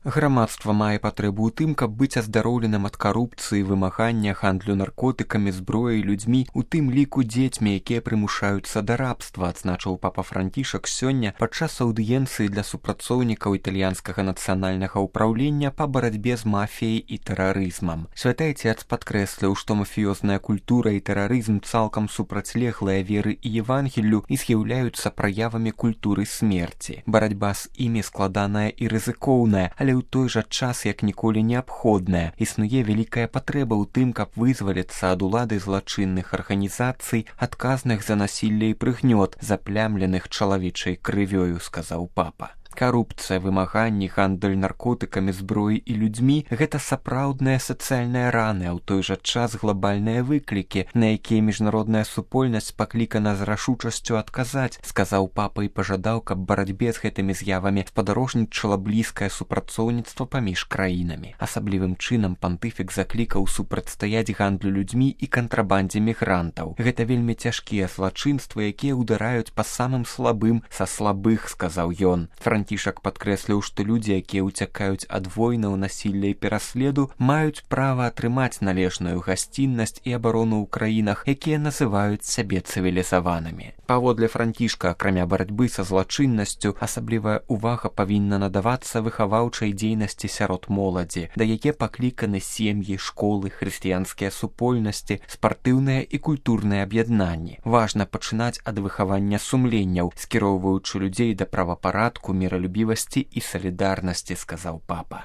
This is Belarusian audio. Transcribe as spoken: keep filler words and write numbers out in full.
Грамадства мае патрэбу ў тым, каб быць аздароўленым ад карупцыі, вымагання, гандлю наркотыкамі, зброяй, людзьмі, у тым ліку дзецьмі, якія прымушаюцца да рабства, адзначыў папа Францішак сёння падчас аўдыенцыі для супрацоўнікаў італьянскага нацыянальнага ўпраўлення па барацьбе з мафіяй і тэрарызмам. Святы Ацец падкрэсліў, што мафіёзная культура і тэрарызм цалкам супрацьлеглыя веры і Евангеллю і з'яўляюцца праявамі культуры смерці. Барацьба з імі складаная і рызыкоўная, але ў той жа час як ніколі неабходная. Існуе вялікая патрэба ў тым, каб вызваліцца ад улады злачынных арганізацый, адказных за насілле і прыгнёт, заплямленых чалавечай крывёю, сказаў папа. Карупцыя, вымаганні, гандаль наркотыкамі, зброяй і людзьмі – гэта сапраўдныя сацыяльныя раны, а ў той жа час глобальныя выклікі, на якія міжнародная супольнасць паклікана з рашучасцю адказаць, сказаў папа і пажадаў, каб барацьбе з гэтымі з'явамі спадарожнічала блізкае супрацоўніцтва паміж краінамі. Асаблівым чынам пантыфік заклікаў супрацьстаяць гандлю людзьмі і кантрабандзе мігрантаў. Гэта вельмі цяжкія злачынствы, якія ўдараюць па самым слабым са слабых, сказаў ён. Францішак падкрэсліў, што людзі, якія ўцякаюць ад войнаў, насілля і пераследу, маюць права атрымаць належную гасціннасць і абарону ў краінах, якія называюць сябе цывілізаванымі. Паводле Францішка, акрамя барацьбы са злачыннасцю, асаблівая увага павінна надавацца выхаваўчай дзейнасці сярод моладзі, да яе пакліканы сем'і, школы, хрысціянскія супольнасці, спартыўныя і культурныя аб'яднанні. Важна пачынаць ад выхавання сумленняў, скіроўваючы людзей да правапарадку, міралюбівасці і салідарнасці, сказаў папа.